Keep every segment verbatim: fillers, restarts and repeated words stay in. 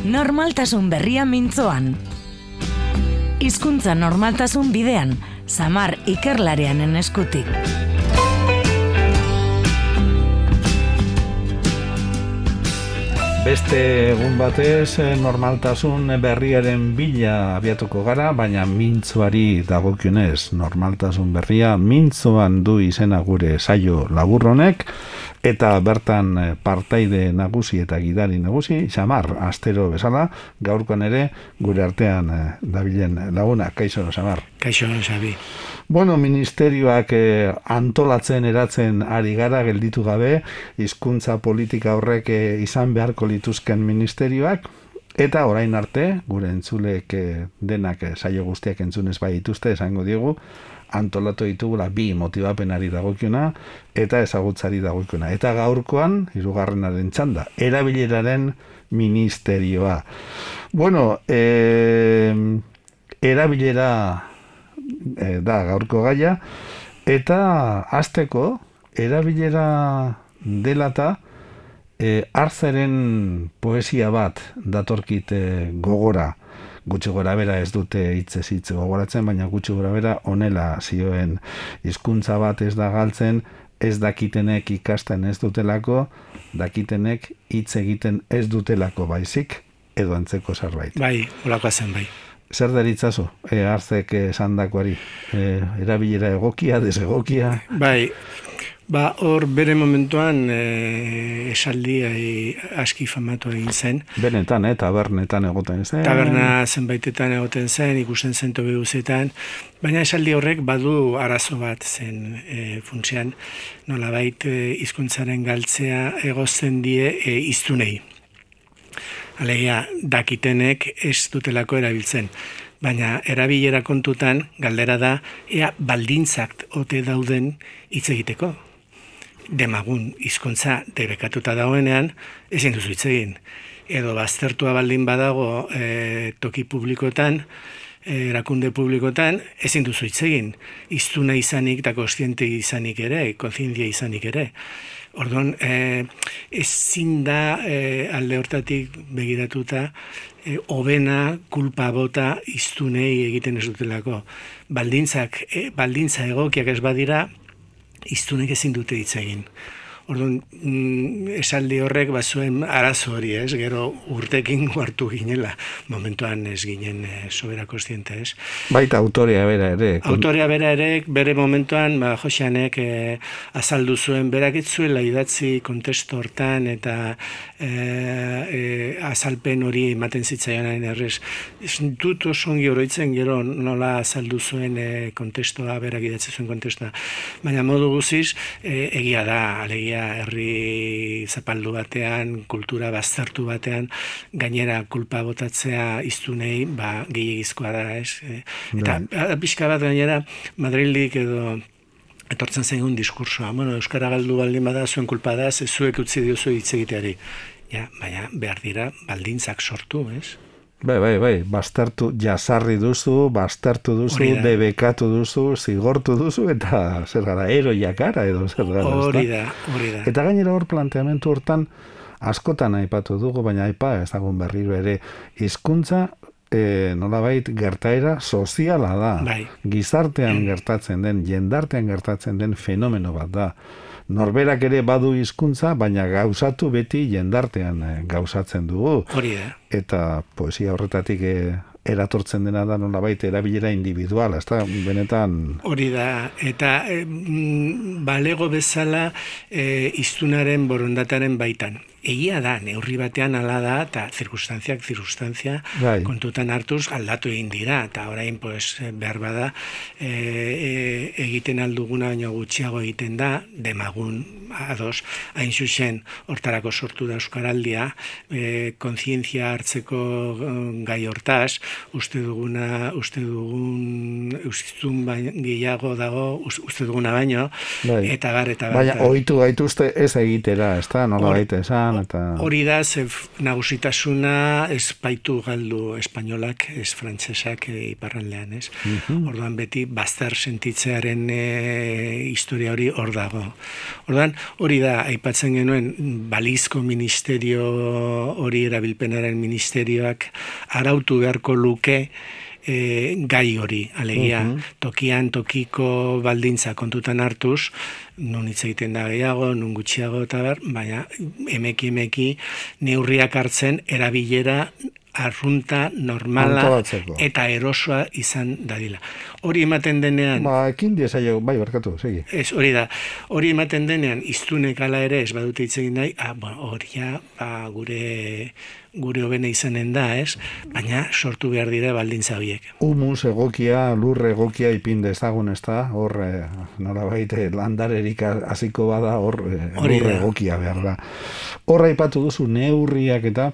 Normaltasun berria mintzoan. Hizkuntza normaltasun bidean, Samar ikerlarianen eskutik. Beste egun batez normaltasun berriaren bila abiatuko gara, baina mintzoari dagokionez normaltasun berria mintzoan du izena gure saio laburronek, eta bertan partaide nagusi eta gidari nagusi, Samar, astero bezala, gaurkoan ere gure artean dabilen laguna. Kaixo, Samar. Kaixo, Xabi. Bueno, ministerioak eh, antolatzen eratzen ari gara gelditu gabe, hizkuntza politika horrek eh, izan beharko lituzken ministerioak, eta orain arte, gure entzulek eh, denak eh, saio guztiak entzunez bai dituzte, esango diegu, antolatu ditugula bi motibapenari dagokiona eta ezagutzari dagokiona. Eta gaurkoan, hirugarrenaren txanda, erabileraren ministerioa. Bueno, eh, erabilera E, da gaurko gaia, eta hasteko erabilera dela eta e, Arzeren poesia bat datorkit e, gogora, gutxi gora bera ez dute hitzez hitz gogoratzen, baina gutxi gora bera honela zioen: hizkuntza bat ez da galtzen, ez dakitenek ikasten ez dutelako, dakitenek hitz egiten ez dutelako baizik, edo antzeko zerbait. Bai, holakoa zen bai. Zer deritzazu, e, Arzek esandakoari, e, erabilera egokia, desegokia? Bai, ba, hor bere momentuan e, esaldi e, aski famatu egin zen. Benetan, eh, tabernetan egoten zen. Taberna zenbaitetan egoten zen, ikusten zen tobe guzetan, baina esaldi horrek badu arazo bat zen e, funtsean, nolabait e, hizkuntzaren galtzea egozten die e, hiztunei. Alegia, dakitenek ez dutelako erabiltzen. Baina erabilera kontutan, galdera da, ea baldintzak ote dauden hitz egiteko. Demagun hizkuntza debekatuta dagoenean, ezin duzu hitz egin. Edo baztertua baldin badago e, toki publikotan, e, erakunde publikotan, ezin duzu hitz egin. Hiztuna izanik eta kontziente izanik ere, kontzientzia izanik ere. Orduan, eh, ezin da eh, alde hortatik begiratuta eh, hobena, kulpa bota hiztunei egiten ez dutelako. Baldintzak, eh, baldintza egokiak ez badira, hiztunek ezin dute hitz egin. Orduan, mm, esaldi horrek bazuen arazo hori, ez? Gero urtekin hartu ginela, momentuan ez ginen e, sobera kontziente, ez? Baita autorea bera ere. Autorea bera ere, bere momentuan, ba, Joxanek e, azaldu zuen, berak ez zuela idatzi kontestu hortan, eta e, e, azalpen hori ematen zitzaionain errez. Ez dut oso ongi oroitzen gero nola azaldu zuen e, kontestua, berak idatzi zuen kontestua. Baina modu guziz, e, egia da, alegia herri zapaldu batean, kultura baztertu batean, gainera kulpa botatzea hiztunei, ba, gehiagizkoa da, ez? Eta pixka bat gainera, Madrildik edo etortzen zaigun diskursoa. Bueno, euskara galdu baldin bada, zuen kulpa da, ez zuek utzi diozu hitz egiteari. Ja, baina behar dira baldintzak sortu, ez? Bai, bai, bai, baztertu, jasarri duzu, baztertu duzu, debekatu duzu, zigortu duzu, eta zer gara, eroiak gara, edo zer gara. Hori da, hori da. Eta gainera hor planteamentu hortan, askotan aipatu dugu, baina aipa ez dagoen berriro ere, hizkuntza e, nolabait gertaera soziala da. Bai. Gizartean gertatzen den, jendartean gertatzen den fenomeno bat da. Norberak ere badu hizkuntza, baina gauzatu beti jendartean gauzatzen dugu. Hori da. Eta poesia horretatik e, eratortzen dena da nolabait erabilera individuala, ezta benetan. Hori da, eta e, balego bezala e, hiztunaren borondataren baitan. Egia da, neurri batean ala da, eta zirkunstantziak zirkunstantzia bai. Kontutan hartuz aldatu egin dira, eta orain pues, behar bada e, e, egiten alduguna baino gutxiago egiten da, demagun ados, hain zuzen hortarako sortu da euskaraldia, e, kontzientzia hartzeko gai hortaz, uste duguna, uste dugun ustun gehiago dago, uste duguna baino, bai. eta bar, eta bar. Baina ohitu gaituzte ez egitera, ez da, nola baita esan, Espainian, eta... Hori da, ze nagusitasuna ez baitu galdu espainolak, ez frantsesak e, iparraldean, ez? Mm-hmm. Orduan beti bazter sentitzearen e, historia hori hor dago. Orduan, hori da, aipatzen genuen, balizko ministerio hori erabilpenaren ministerioak arautu beharko luke E, gai hori, alegia, uh-huh. tokian, tokiko baldintza kontutan hartuz, nun hitz egiten da gehiago, nun gutxiago eta ber, baina emeki emeki neurriak hartzen erabilera arrunta, normala Antolatzeko. Eta erosoa izan dadila. Hori ematen denean... Ba, ekin diesaio, bai, barkatu, segi. Ez, hori da. Hori ematen denean, iztunek ala ere, ez badute hitz egin nahi, ah, bueno, horia, ba, gure... gure hobene izanen da, ez? Baina sortu behar dira baldintza horiek. Humus egokia, lur egokia ipin dezagun, ez da? Hor, eh, nolabait, landarerik hasiko bada, hor eh, lur egokia behar da. Hor aipatu duzu neurriak eta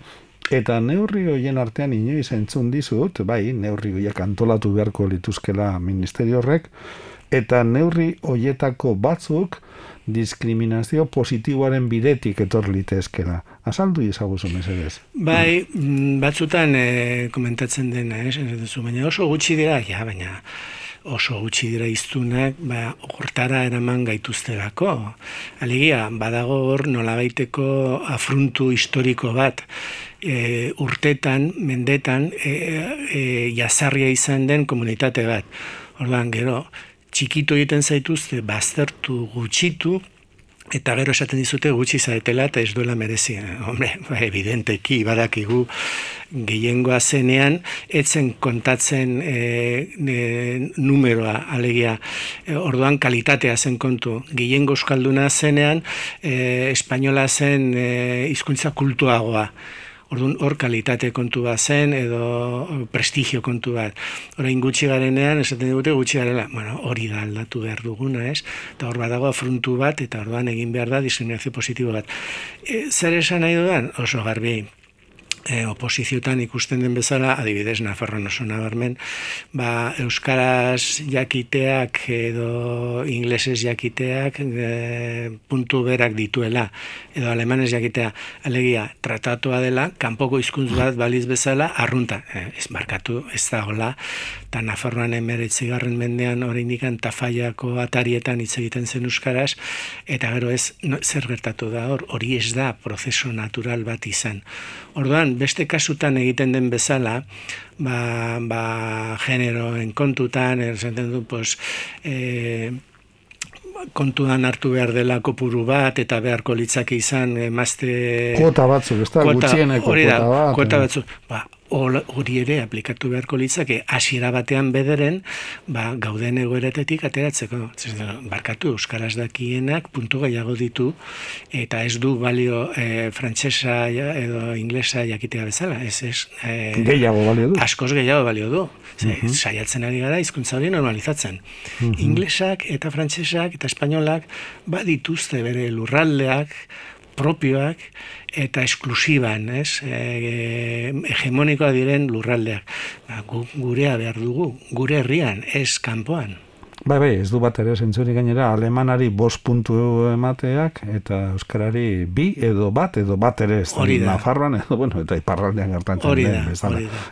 eta neurri horien artean inoiz entzun dizut, bai, neurri horiek antolatu beharko lituzkela ministerio horrek, eta neurri horietako batzuk diskriminazio positiboaren bidetik etor litezkela. Azaldu izaguzu mesedez. Bai, batzutan e, komentatzen dena, ez? Baina oso gutxi dira, ja, baina oso gutxi dira iztunak, ba, hortara eraman gaituztelako. Alegia, badago hor nolabaiteko afruntu historiko bat, e, urtetan, mendetan, e, e, jazarria izan den komunitate bat. Orduan, gero, txikitu egiten zaituzte, baztertu, gutxitu, eta gero esaten dizute gutxi zaetela eta ez duela merezi. Hombre, ba, evidenteki, badakigu gehiengoa zenean, etzen kontatzen e, e, numeroa, alegia, e, orduan kalitatea zen kontu. Gehiengo euskalduna zenean, e, espainola zen e, hizkuntza kultuagoa. Orduan, hor kalitate kontu bat zen, edo prestigio kontu bat. Orain gutxi garenean, esaten digute gutxi garela, bueno, hori da aldatu behar duguna, ez? Eta hor badago afrontu bat, eta orduan egin behar da diskriminazio positibo bat. E, zer esan nahi dudan? Oso garbi. E, oposiziotan ikusten den bezala, adibidez, Nafarroan oso nabarmen, ba, euskaraz jakiteak edo inglesez jakiteak e, puntu berak dituela, edo alemanez jakitea, alegia, tratatua dela, kanpoko hizkuntz bat baliz bezala, arrunta, e, ez markatu, ez da hola, eta Nafarroan emeretzigarren mendean oraindikan Tafallako atarietan hitz egiten zen euskaraz, eta gero ez, no, zer gertatu da hor, hori ez da prozeso natural bat izan. Orduan, beste kasutan egiten den bezala, ba, ba generoen kontutan, esaten du, pues, e, kontuan hartu behar dela kopuru bat, eta beharko litzake izan emazte... Kuota batzuk, ez da, gutxieneko kuota bat. Kuota batzuk, ba, hori ere aplikatu beharko litzake hasiera batean bederen, ba, gauden egoeratetik ateratzeko. Barkatu, euskaraz dakienak puntu gehiago ditu, eta ez du balio e, frantsesa edo inglesa jakitea bezala. Ez, ez, e, gehiago balio du. Askoz gehiago balio du. Ze, uh-huh. Saiatzen ari gara hizkuntza hori normalizatzen. Uh-huh. Inglesak eta frantsesak eta espainolak badituzte bere lurraldeak, propioak, eta esklusiban, ez? E, hegemonikoa diren lurraldeak. Ba, gu, gurea behar dugu, gure herrian, ez kanpoan. Bai, bai, ez du bat ere zentzuri gainera, alemanari bost puntu emateak, eta euskarari bi edo bat, edo bat ere ez. Hori da. Nafarroan, edo, bueno, eta iparraldean gertatzen hori den, da, bezala. hori da.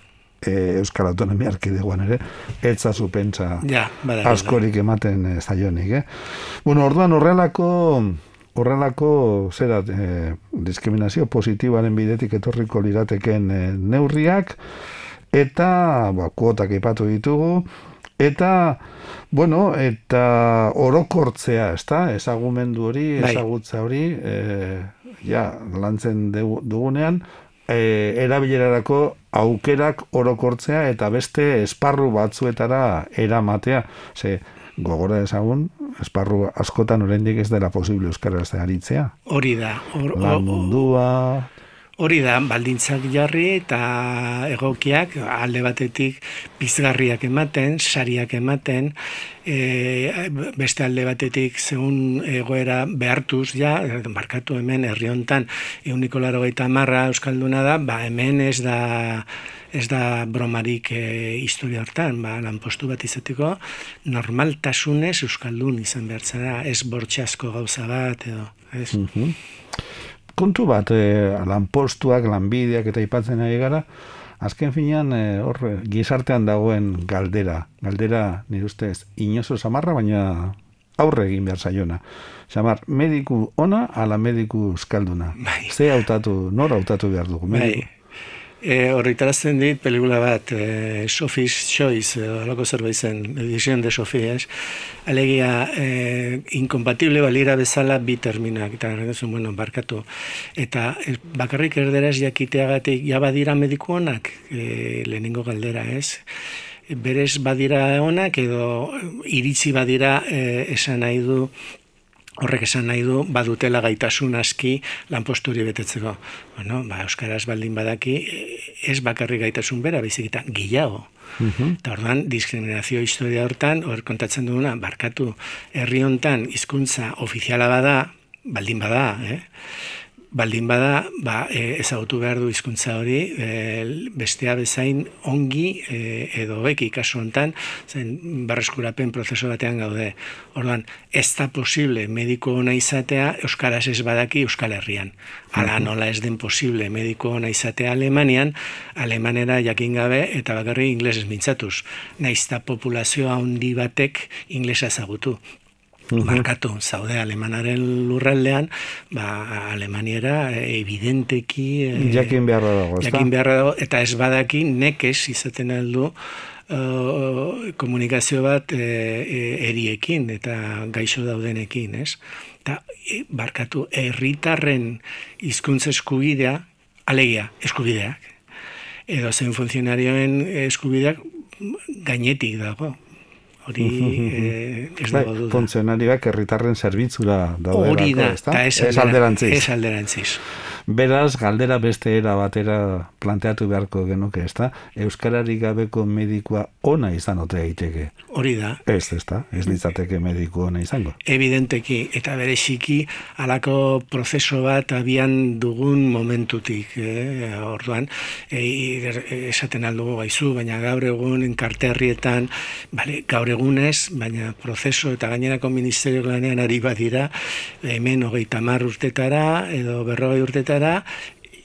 E, Euskal Autonomia Erkidegoan ere, etzazu pentsa ja, askorik ematen zaionik, eh? Bueno, orduan horrelako... Horrelako, zera, eh, diskriminazio positiboaren bidetik etorriko lirateken eh, neurriak, eta, ba, kuotak ipatu ditugu, eta, bueno, eta orokortzea, ezta? Ezagumendu hori, ezagutza hori, eh, ja, lantzen dugunean, eh, erabilerarako aukerak orokortzea, eta beste esparru batzuetara eramatea, ze, gogora ezagun, esparru askotan oraindik ez dela posible euskaraz aritzea. Hori da. Or, Lan mundua... Hori da, baldintzak jarri eta egokiak alde batetik pizgarriak ematen, sariak ematen, e, beste alde batetik zeun egoera behartuz, ja, markatu hemen herri hontan ehuneko laurogeita hamar euskalduna da, ba hemen ez da... ez da bromarik e, historia hortan, ba, lanpostu bat izateko normaltasunez euskaldun izan behar zara, ez bortxasko gauza bat, edo, ez? Uh-huh. kontu bat, e, lanpostuak, lanbideak eta aipatzen ari gara, azken finean, e, hor, gizartean dagoen galdera, galdera, nire ustez, inozo samarra, baina aurre egin behar zaiona. Samar, mediku ona, ala mediku euskalduna. Bai. Ze hautatu, nor hautatu behar dugu? Bai. E, horritarazten dit, pelikula bat, e, Sophie's Choice, alako zerbait zen, Edición de Sophie, es? Alegia, e, inkompatible balira bezala bi terminak, eta erretzen, bueno, barkatu. Eta e, bakarrik erderaz jakiteagatik, ja badira mediku onak, e, lehenengo galdera, ez? Berez badira onak, edo iritzi badira e, esan nahi du, horrek esan nahi du, badutela gaitasun aski lanposturi betetzeko. Bueno, ba, euskaraz baldin badaki, ez bakarri gaitasun bera, baizik eta gehiago. Uh-huh. Eta orduan, diskriminazio historia hortan, hor kontatzen duguna, barkatu, herri hontan hizkuntza ofiziala bada, baldin bada, eh? Baldin bada, ba, e, ezagutu behar du hizkuntza hori, e, bestea bezain ongi e, edo beki kasu hontan, zen berreskurapen prozesu batean gaude. Orduan, ez da posible mediko ona izatea euskaraz ez badaki Euskal Herrian. Hala nola ez den posible mediko ona izatea Alemanian, Alemanera jakin gabe eta bakarrik inglesez mintzatuz. Naiz ta populazioa handi batek inglesa ezagutu. Markatu, zaude Alemanaren lurraldean, ba, Alemaniera evidenteki e, jakin beharra dago, ez da? Jakin beharra dago, eta ez badaki nekez izaten aldu uh, komunikazio bat e, e, eriekin eta gaixo daudenekin, ez? Eta, e, barkatu, herritarren hizkuntza eskubidea, alegia, eskubideak, edo zen funtzionarioen eskubideak gainetik dago. Hori eh, ez dago duda. Funtzionarioak herritarren zerbitzura daude. Hori da, eta ez alderantziz. Ez alderantziz. Beraz, galdera beste era batera planteatu beharko genuke, ez da? Euskararik gabeko medikua ona izan ote daiteke. Hori da. Ez, ez da? Ez litzateke mediku ona izango. Evidenteki, eta bereziki halako prozeso bat abian dugun momentutik. Eh? Orduan, eh, esaten aldugu gaizu, baina gaur egun enkarterrietan, bale, gaur egunez, baina prozeso eta gainerako ministerio lanean ari badira, hemen hogeita hamar urtetara, edo berrogei urtetara,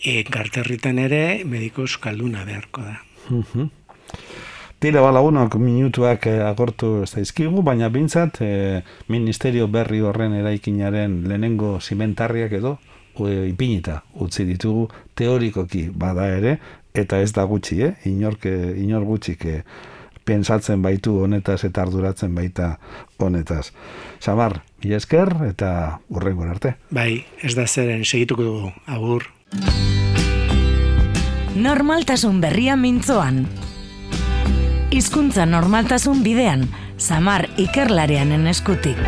enkarterritan ere mediko euskalduna beharko da. Uh-huh. Tira balagunok minutuak agortu zaizkigu, baina bintzat eh, ministerio berri horren eraikinaren lehenengo zimentarriak edo e, ipinita utzi ditugu teorikoki bada ere, eta ez da gutxi, eh? Inork, inor gutxik eh, pensatzen baitu honetaz eta arduratzen baita honetaz. Samar, mila esker eta hurrengo arte. Bai, ez da zeren, segituko dugu, agur. Normaltasun berria mintzoan. Hizkuntza normaltasun bidean, Samar ikerlarianen eskutik.